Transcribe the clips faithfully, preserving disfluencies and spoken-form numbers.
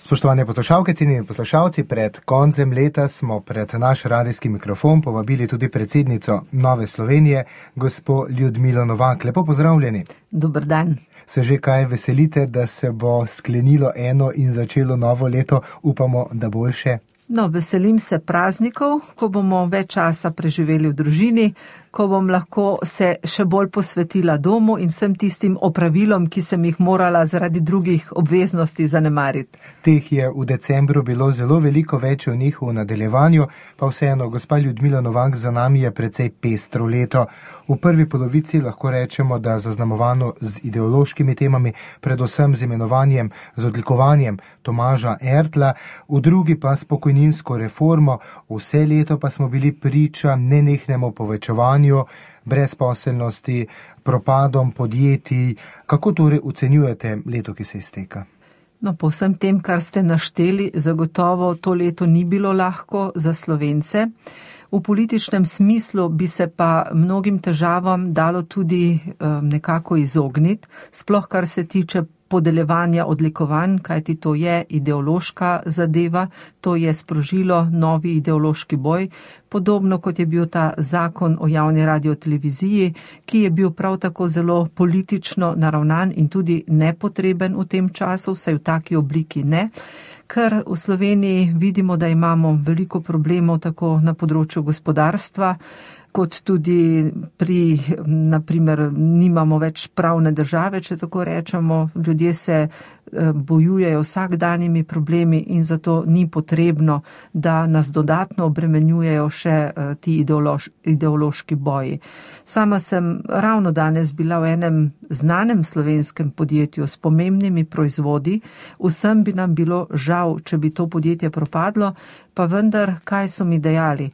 Spoštovane poslušalke, cenjeni poslušalci, pred koncem leta smo pred naš radijski mikrofon povabili tudi predsednico Nove Slovenije, gospo Ljudmilo Novak. Lepo pozdravljeni. Dober dan. Se že kaj veselite, da se bo sklenilo eno in začelo novo leto? Upamo, da boljše. No, veselim se praznikov, ko bomo več časa preživeli v družini, ko bom lahko se še bolj posvetila domu in vsem tistim opravilom, ki sem jih morala zaradi drugih obveznosti zanemariti. Teh je v decembru bilo zelo veliko, več o njih v nadaljevanju, pa vseeno, gospa Ljudmila Novak, za nami je precej pestro leto. V prvi polovici lahko rečemo, da zaznamovano z ideološkimi temami, predvsem z imenovanjem, z odlikovanjem Tomaža Ertla, v drugi pa s pokojninsko reformo, vse leto pa smo bili priča nenehnemu povečevanju brezposelnosti, propadom podjetij. Kako torej ocenjujete leto, ki se izteka? No, po vsem tem, kar ste našteli, zagotovo to leto ni bilo lahko za Slovence. V političnem smislu bi se pa mnogim težavam dalo tudi um, nekako izogniti, sploh kar se tiče podeljevanja odlikovanj, kajti to je ideološka zadeva, to je sprožilo novi ideološki boj, podobno kot je bil ta zakon o javni radioteleviziji, ki je bil prav tako zelo politično naravnan in tudi nepotreben v tem času, vsaj v taki obliki ne. Ker v Sloveniji vidimo, da imamo veliko problemov tako na področju gospodarstva, kot tudi pri, naprimer, nimamo več pravne države, če tako rečemo, ljudje se bojujejo vsakdanjimi problemi in zato ni potrebno, da nas dodatno obremenjujejo še ti ideološ, ideološki boji. Sama sem ravno danes bila v enem znanem slovenskem podjetju s pomembnimi proizvodi, vsem bi nam bilo žal, če bi to podjetje propadlo, pa vendar, kaj so mi dejali?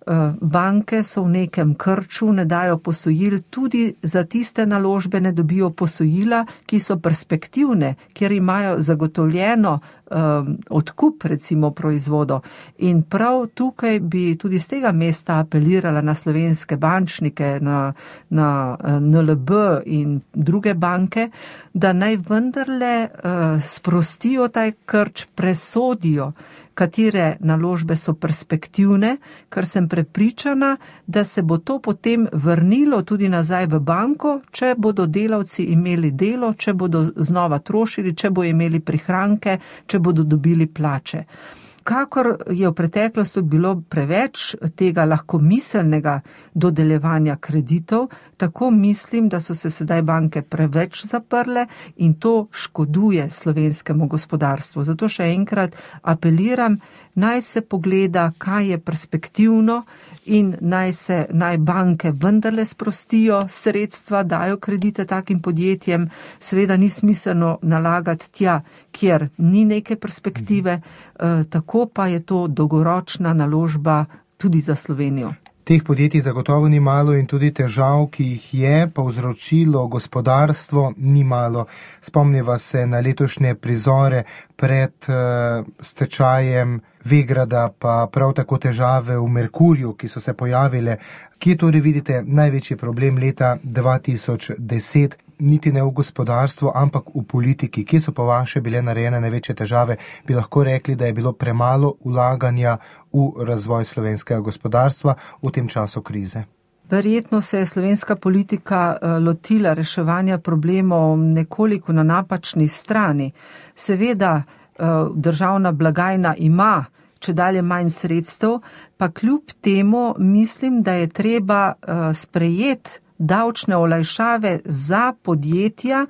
Banke so v nekem krču, ne dajo posojil, tudi za tiste naložbe ne dobijo posojila, ki so perspektivne, kjer imajo zagotovljeno um, odkup recimo proizvodo. In prav tukaj bi tudi z tega mesta apelirala na slovenske bančnike, na, na N L B in druge banke, da naj vendarle uh, sprostijo taj krč, presodijo, katere naložbe so perspektivne, ker sem prepričana, da se bo to potem vrnilo tudi nazaj v banko, če bodo delavci imeli delo, če bodo znova trošili, če bodo imeli prihranke, če bodo dobili plače. Kakor je v preteklosti bilo preveč tega lahkomiselnega dodeljevanja kreditov, tako mislim, da so se sedaj banke preveč zaprle in to škoduje slovenskemu gospodarstvu. Zato še enkrat apeliram, naj se pogleda, kaj je perspektivno in naj se, naj banke vendarle sprostijo sredstva, dajo kredite takim podjetjem. Seveda ni smiselno nalagati tja, kjer ni neke perspektive, eh, tako pa je to dolgoročna naložba tudi za Slovenijo. Teh podjetij zagotovo ni malo in tudi težav, ki jih je povzročilo gospodarstvo, ni malo. Spomniva se na letošnje prizore pred uh, stečajem Vegrada, pa prav tako težave v Merkurju, ki so se pojavile. Kje torej vidite največji problem leta dva tisoč deset? Niti ne v gospodarstvu, ampak v politiki. Kje so po vaše bile narejene največje težave? Bi lahko rekli, da je bilo premalo vlaganja v razvoj slovenskega gospodarstva v tem času krize? Verjetno se je slovenska politika lotila reševanja problemov nekoliko na napačni strani. Seveda državna blagajna ima čedalje manj sredstev, pa kljub temu mislim, da je treba sprejeti davčne olajšave za podjetja,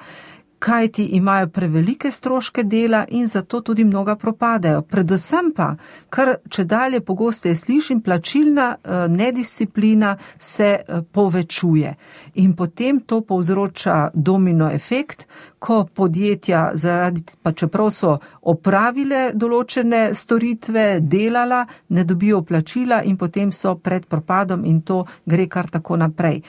kajti imajo prevelike stroške dela in zato tudi mnoga propadajo. Predvsem pa, kar čedalje pogosteje slišim, plačilna nedisciplina se povečuje. In potem to povzroča domino efekt, ko podjetja, zaradi, pa čeprav so opravile določene storitve, delala, ne dobijo plačila in potem so pred propadom in to gre kar tako naprej.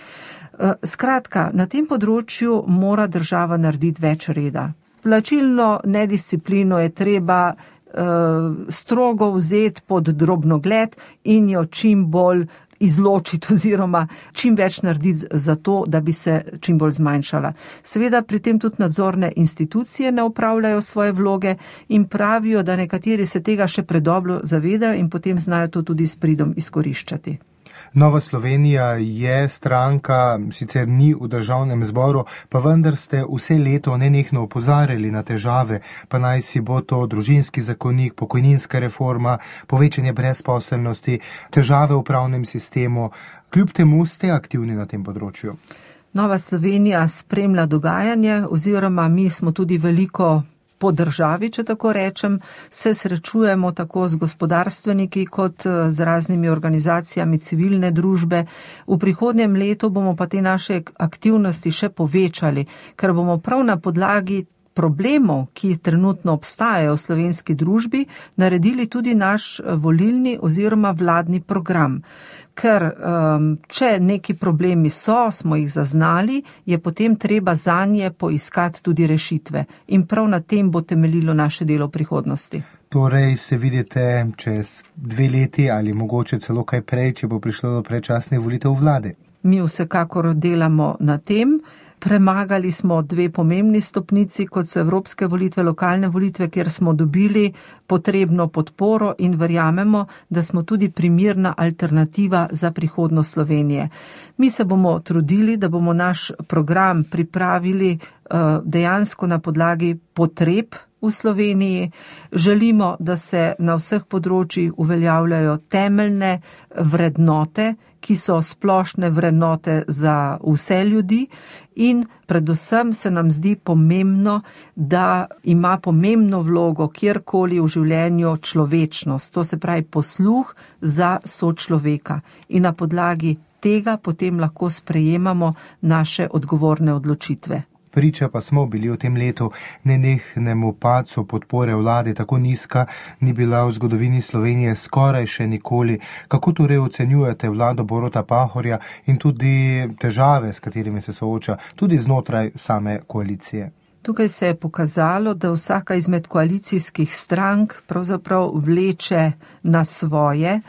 Skratka, na tem področju mora država narediti več reda. Plačilno nedisciplino je treba uh, strogo vzeti pod drobnogled in jo čim bolj izločiti oziroma čim več narediti za to, da bi se čim bolj zmanjšala. Seveda pri tem tudi nadzorne institucije ne opravljajo svoje vloge in pravijo, da nekateri se tega še predobro zavedajo in potem znajo to tudi s pridom izkoriščati. Nova Slovenija je stranka, sicer ni v državnem zboru, pa vendar ste vse leto nenehno opozarjali na težave, pa naj si bo to družinski zakonik, pokojninska reforma, povečanje brezposelnosti, težave v pravnem sistemu. Kljub temu ste aktivni na tem področju. Nova Slovenija spremlja dogajanje oziroma mi smo tudi veliko po državi, če tako rečem, se srečujemo tako z gospodarstveniki kot z raznimi organizacijami civilne družbe. V prihodnjem letu bomo pa te naše aktivnosti še povečali, ker bomo prav na podlagi problemov, ki trenutno obstajajo v slovenski družbi, naredili tudi naš volilni oziroma vladni program. Ker um, če neki problemi so, smo jih zaznali, je potem treba zanje poiskati tudi rešitve. In prav na tem bo temeljilo naše delo v prihodnosti. Torej se vidite čez dve leti ali mogoče celo kaj prej, če bo prišlo do predčasnih volitev vlade. Mi vsekakor delamo na tem. Premagali smo dve pomembni stopnici, kot so evropske volitve, lokalne volitve, kjer smo dobili potrebno podporo in verjamemo, da smo tudi primerna alternativa za prihodnost Slovenije. Mi se bomo trudili, da bomo naš program pripravili uh, dejansko na podlagi potreb v Sloveniji. Želimo, da se na vseh področjih uveljavljajo temeljne vrednote, ki so splošne vrednote za vse ljudi in predvsem se nam zdi pomembno, da ima pomembno vlogo kjerkoli v življenju človečnost, to se pravi posluh za sočloveka in na podlagi tega potem lahko sprejemamo naše odgovorne odločitve. Priča pa smo bili v tem letu nenehnemu padcu podpore vlade, tako nizka ni bila v zgodovini Slovenije skoraj še nikoli. Kako torej ocenjujete vlado Boruta Pahorja in tudi težave, s katerimi se sooča, tudi znotraj same koalicije? Tukaj se je pokazalo, da vsaka izmed koalicijskih strank pravzaprav vleče na svoje,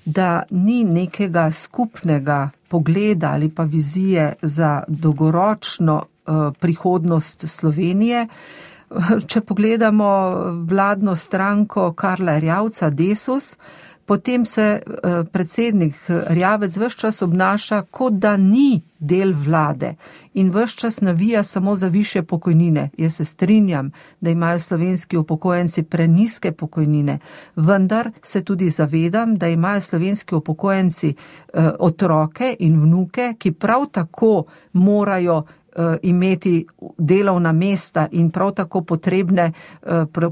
da ni nekega skupnega pogleda ali pa vizije za dolgoročno prihodnost Slovenije. Če pogledamo vladno stranko Karla Erjavca Desus, potem se predsednik Erjavec ves čas obnaša, kot da ni del vlade in ves čas navija samo za višje pokojnine. Jaz se strinjam, da imajo slovenski upokojenci prenizke pokojnine, vendar se tudi zavedam, da imajo slovenski upokojenci otroke in vnuke, ki prav tako morajo imeti delovna mesta in prav tako potrebne,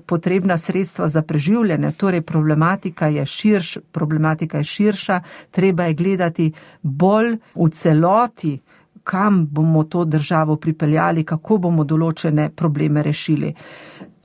potrebna sredstva za preživljanje. Torej problematika je širš, problematika je širša, treba je gledati bolj v celoti, kam bomo to državo pripeljali, kako bomo določene probleme rešili.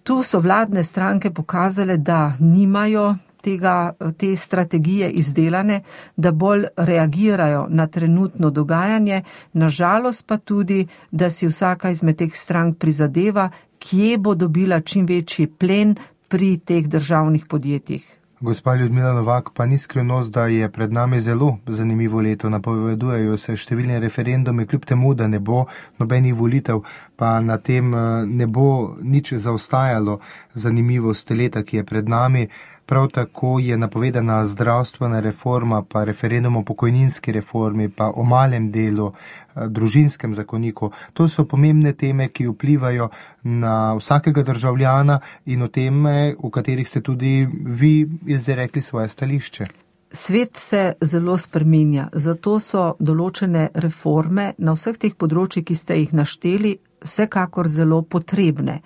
Tu so vladne stranke pokazale, da nimajo tega, te strategije izdelane, da bolj reagirajo na trenutno dogajanje, nažalost pa tudi, da si vsaka izmed teh strank prizadeva, kje bo dobila čim večji plen pri teh državnih podjetjih. Gospa Ljudmila Novak, pa ni skrivnost, da je pred nami zelo zanimivo leto. Napovedujejo se številne referendume, kljub temu, da ne bo nobenih volitev, pa na tem ne bo nič zaostajalo zanimivost leta, ki je pred nami. Prav tako je napovedana zdravstvena reforma, pa referendum o pokojninski reformi, pa o malem delu, družinskem zakoniku. To so pomembne teme, ki vplivajo na vsakega državljana in o teme, v katerih ste tudi vi izrekli svoje stališče. Svet se zelo spreminja, zato so določene reforme na vseh teh področjih, ki ste jih našteli, vsekakor zelo potrebne.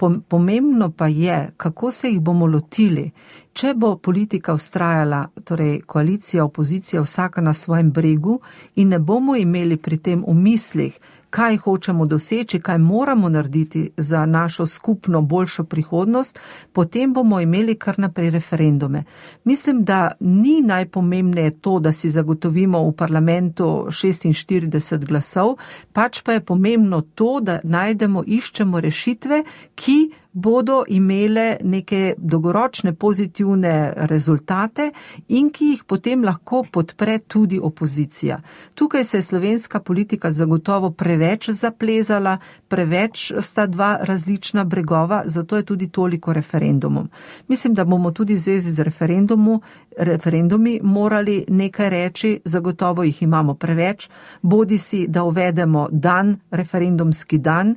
Pomembno pa je, kako se jih bomo lotili. Če bo politika vztrajala, torej koalicija, opozicija, vsaka na svojem bregu in ne bomo imeli pri tem v mislih, kaj hočemo doseči, kaj moramo narediti za našo skupno boljšo prihodnost, potem bomo imeli kar naprej referendume. Mislim, da ni najpomembneje to, da si zagotovimo v parlamentu šestinštirideset glasov, pač pa je pomembno to, da najdemo, iščemo rešitve, ki bodo imele neke dolgoročne pozitivne rezultate in ki jih potem lahko podpre tudi opozicija. Tukaj se je slovenska politika zagotovo preveč zaplezala, preveč sta dva različna bregova, zato je tudi toliko referendumov. Mislim, da bomo tudi v zvezi z referendumu, referendumi morali nekaj reči, zagotovo jih imamo preveč, bodi si, da uvedemo dan, referendumski dan,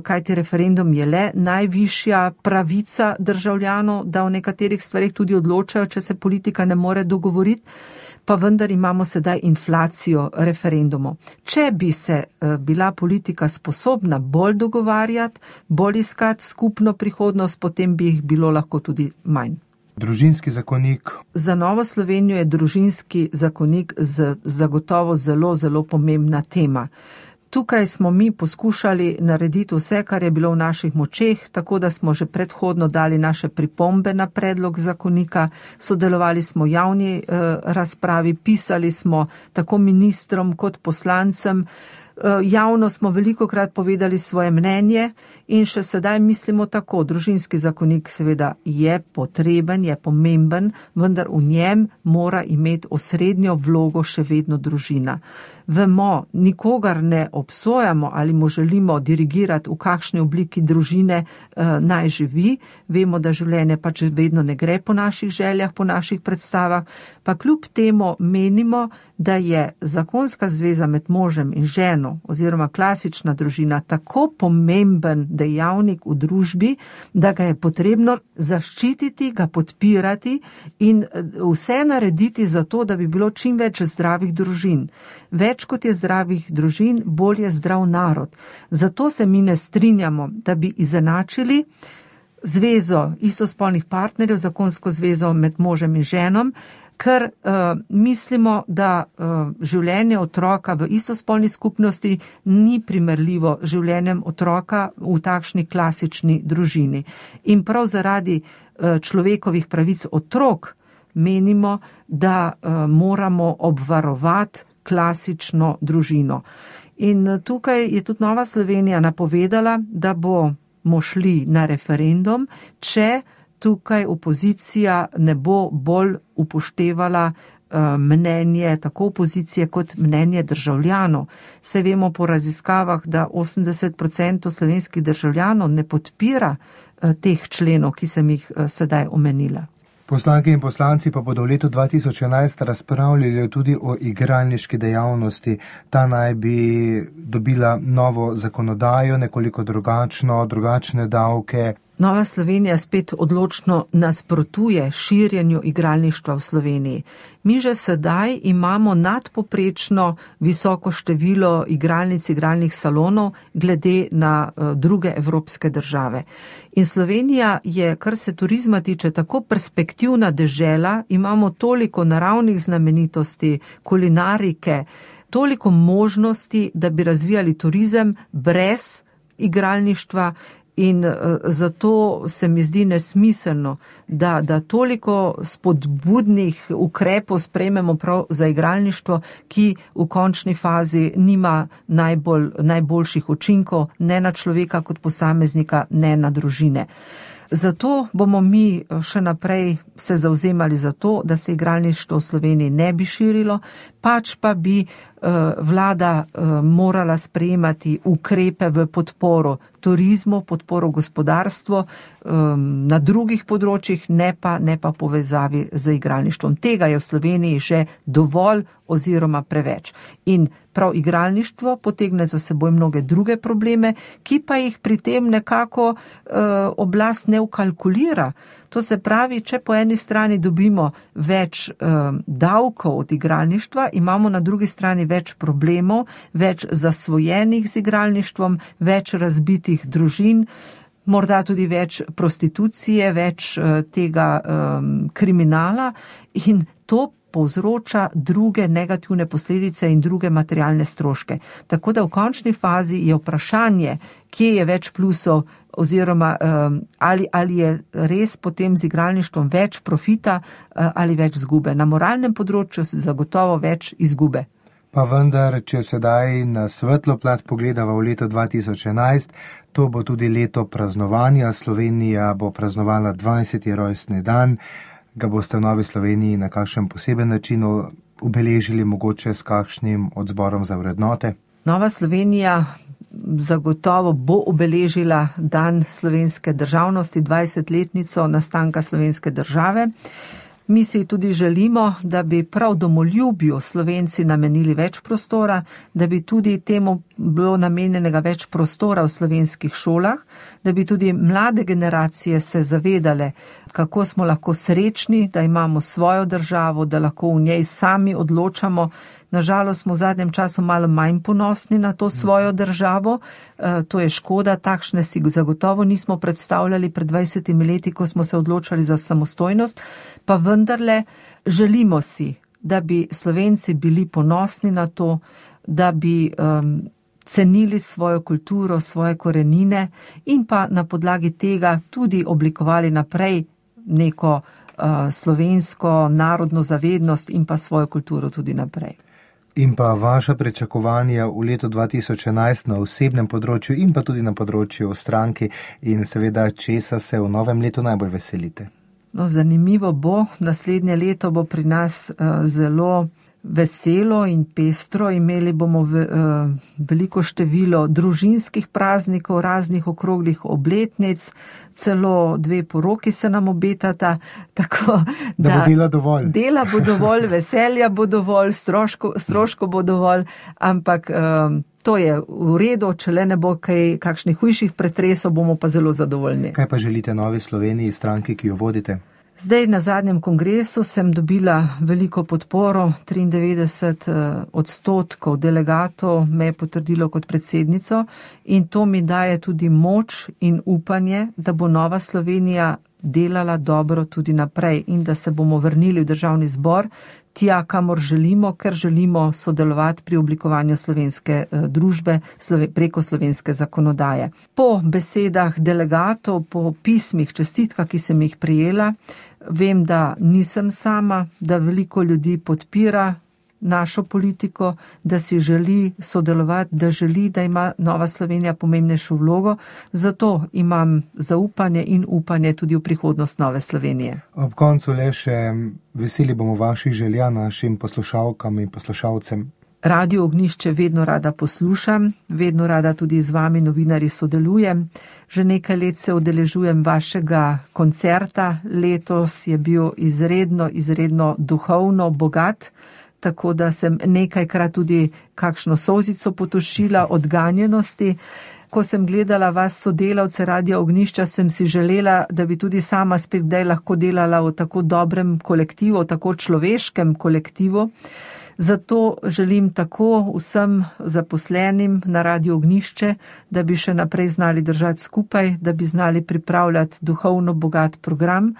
kajti referendum je le najvišja pravica državljanov, da o nekaterih stvarih tudi odločajo, če se politika ne more dogovoriti, pa vendar imamo sedaj inflacijo referendumov. Če bi se bila politika sposobna bolj dogovarjati, bolj iskati skupno prihodnost, potem bi jih bilo lahko tudi manj. Družinski zakonik. Za Novo Slovenijo je družinski zakonik zagotovo zelo, zelo pomembna tema. Tukaj smo mi poskušali narediti vse, kar je bilo v naših močeh, tako da smo že predhodno dali naše pripombe na predlog zakonika, sodelovali smo v javni eh, razpravi, pisali smo tako ministrom kot poslancem, javno smo velikokrat povedali svoje mnenje in še sedaj mislimo tako. Družinski zakonik seveda je potreben, je pomemben, vendar v njem mora imeti osrednjo vlogo še vedno družina. Vemo, nikogar ne obsojamo ali mu želimo dirigirati, v kakšni obliki družine eh, naj živi. Vemo, da življenje pač vedno ne gre po naših željah, po naših predstavah, pa kljub temu menimo, da je zakonska zveza med možem in ženo oziroma klasična družina tako pomemben dejavnik v družbi, da ga je potrebno zaščititi, ga podpirati in vse narediti za to, da bi bilo čim več zdravih družin. Več kot je zdravih družin, bolj je zdrav narod. Zato se mi ne strinjamo, da bi izenačili zvezo istospolnih partnerjev, zakonsko zvezo med možem in ženom, ker uh, mislimo, da uh, življenje otroka v istospolni skupnosti ni primerljivo življenjem otroka v takšni klasični družini. In prav zaradi uh, človekovih pravic otrok menimo, da uh, moramo obvarovati klasično družino. In uh, tukaj je tudi Nova Slovenija napovedala, da bomo šli na referendum, če tukaj opozicija ne bo bolj upoštevala mnenje tako opozicije kot mnenje državljanov. Se vemo po raziskavah, da osemdeset procentov slovenskih državljanov ne podpira teh členov, ki sem jih sedaj omenila. Poslanke in poslanci pa bodo v letu dva tisoč enajst razpravljali tudi o igralniški dejavnosti. Ta naj bi dobila novo zakonodajo, nekoliko drugačno, drugačne davke. Nova Slovenija spet odločno nasprotuje širjenju igralništva v Sloveniji. Mi že sedaj imamo nadpoprečno visoko število igralnic, igralnih salonov glede na uh, druge evropske države. In Slovenija je, kar se turizma tiče, tako perspektivna dežela, imamo toliko naravnih znamenitosti, kulinarike, toliko možnosti, da bi razvijali turizem brez igralništva. In uh, zato se mi zdi nesmiselno, da, da toliko spodbudnih ukrepov sprejmemo prav za igralništvo, ki v končni fazi nima najbolj, najboljših učinkov, ne na človeka kot posameznika, ne na družine. Zato bomo mi še naprej se zavzemali za to, da se igralništvo v Sloveniji ne bi širilo, pač pa bi uh, vlada uh, morala sprejemati ukrepe v podporo turizmu, podporo gospodarstvu um, na drugih področjih, ne pa, ne pa povezavi z igralništvom. Tega je v Sloveniji že dovolj oziroma preveč. In prav igralništvo potegne za seboj mnoge druge probleme, ki pa jih pri tem nekako uh, oblast ne ukalkulira. To se pravi, če po eni strani dobimo več um, davkov od igralništva, imamo na drugi strani več problemov, več zasvojenih z igralništvom, več razbitih družin, morda tudi več prostitucije, več uh, tega um, kriminala in to povzroča druge negativne posledice in druge materialne stroške. Tako da v končni fazi je vprašanje, kje je več plusov oziroma um, ali, ali je res potem z igralništvom več profita uh, ali več izgube. Na moralnem področju se zagotovo več izgube. Pa vendar, če sedaj na svetlo plat pogledava v leto dva tisoč enajst, to bo tudi leto praznovanja. Slovenija bo praznovala dvajseti rojstni dan. Ga boste v Novi Sloveniji na kakšen poseben način obeležili, mogoče s kakšnim odzborom za vrednote? Nova Slovenija zagotovo bo obeležila dan slovenske državnosti, dvajsetletnico nastanka slovenske države. Mi si tudi želimo, da bi prav domoljubju Slovenci namenili več prostora, da bi tudi temu bilo namenjenega več prostora v slovenskih šolah, da bi tudi mlade generacije se zavedale, kako smo lahko srečni, da imamo svojo državo, da lahko v njej sami odločamo. Nažalost smo v zadnjem času malo manj ponosni na to svojo državo, to je škoda, takšne si zagotovo nismo predstavljali pred dvajsetimi leti, ko smo se odločali za samostojnost, pa vendarle želimo si, da bi Slovenci bili ponosni na to, da bi um, cenili svojo kulturo, svoje korenine in pa na podlagi tega tudi oblikovali naprej neko uh, slovensko narodno zavednost in pa svojo kulturo tudi naprej. In pa vaša pričakovanja v letu dva tisoč enajst na osebnem področju in pa tudi na področju stranki in seveda česa se v novem letu najbolj veselite? No, zanimivo bo, naslednje leto bo pri nas uh, zelo veselo in pestro, imeli bomo ve, uh, veliko število družinskih praznikov, raznih okroglih obletnic, celo dve poroki se nam obetata, tako da, da bo dela dovolj. Dela bo dovolj, veselja bo dovolj, stroško, stroško bo dovolj, ampak um, to je v redu, če le ne bo kaj, kakšnih hujših pretresov, bomo pa zelo zadovoljni. Kaj pa želite Novi Sloveniji, stranki, ki jo vodite? Zdaj na zadnjem kongresu sem dobila veliko podporo, triindevetdeset odstotkov delegatov me je potrdilo kot predsednico in to mi daje tudi moč in upanje, da bo Nova Slovenija delala dobro tudi naprej in da se bomo vrnili v državni zbor, tja, kamor želimo, ker želimo sodelovati pri oblikovanju slovenske družbe preko slovenske zakonodaje. Po besedah delegatov, po pismih, čestitkah, ki sem jih prejela, vem, da nisem sama, da veliko ljudi podpira našo politiko, da si želi sodelovati, da želi, da ima Nova Slovenija pomembnejšo vlogo, zato imam zaupanje in upanje tudi v prihodnost Nove Slovenije. Ob koncu le še veseli bomo vaših želja našim poslušalkam in poslušalcem. Radio Ognjišče vedno rada poslušam, vedno rada tudi z vami novinarji sodelujem. Že nekaj let se udeležujem vašega koncerta, letos je bil izredno, izredno duhovno bogat, tako da sem nekajkrat tudi kakšno solzico potošila od ganjenosti. Ko sem gledala vas sodelavce Radia Ognjišča, sem si želela, da bi tudi sama spet kdaj lahko delala v tako dobrem kolektivu, v tako človeškem kolektivu. Zato želim tako vsem zaposlenim na Radio Ognjišče, da bi še naprej znali držati skupaj, da bi znali pripravljati duhovno bogat program,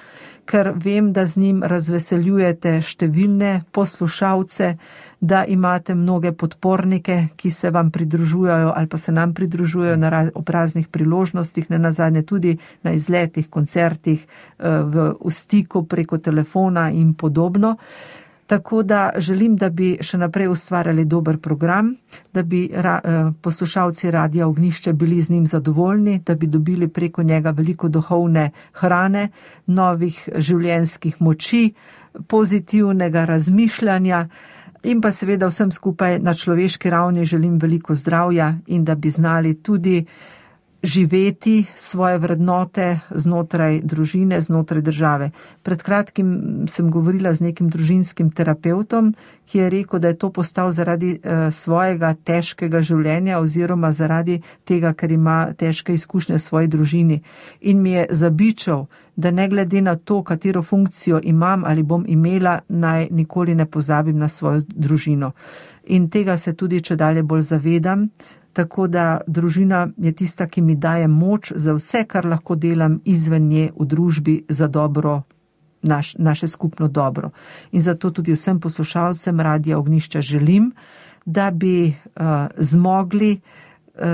ker vem, da z njim razveseljujete številne poslušalce, da imate mnoge podpornike, ki se vam pridružujejo ali pa se nam pridružujejo na raz, ob raznih priložnostih, ne nazadnje tudi na izletih, koncertih, v, v stiku preko telefona in podobno. Tako da želim, da bi še naprej ustvarjali dober program, da bi ra, poslušalci Radia Ognjišče bili z njim zadovoljni, da bi dobili preko njega veliko duhovne hrane, novih življenjskih moči, pozitivnega razmišljanja in pa seveda vsem skupaj na človeški ravni želim veliko zdravja in da bi znali tudi živeti svoje vrednote znotraj družine, znotraj države. Pred kratkim sem govorila z nekim družinskim terapeutom, ki je rekel, da je to postal zaradi eh, svojega težkega življenja oziroma zaradi tega, ker ima težke izkušnje v svoji družini. In mi je zabičal, da ne glede na to, katero funkcijo imam ali bom imela, naj nikoli ne pozabim na svojo družino. In tega se tudi čedalje bolj zavedam, tako da družina je tista, ki mi daje moč za vse, kar lahko delam izven nje v družbi za dobro, naš, naše skupno dobro. In zato tudi vsem poslušalcem Radia Ognjišča želim, da bi uh, zmogli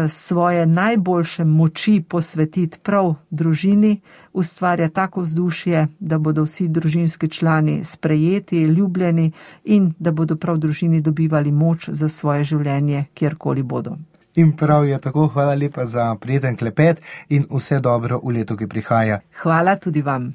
svoje najboljše moči posvetiti prav družini, ustvarja tako vzdušje, da bodo vsi družinski člani sprejeti, ljubljeni in da bodo prav družini dobivali moč za svoje življenje, kjerkoli bodo. In prav je tako, hvala lepa za prijeten klepet in vse dobro v letu, ki prihaja. Hvala tudi vam.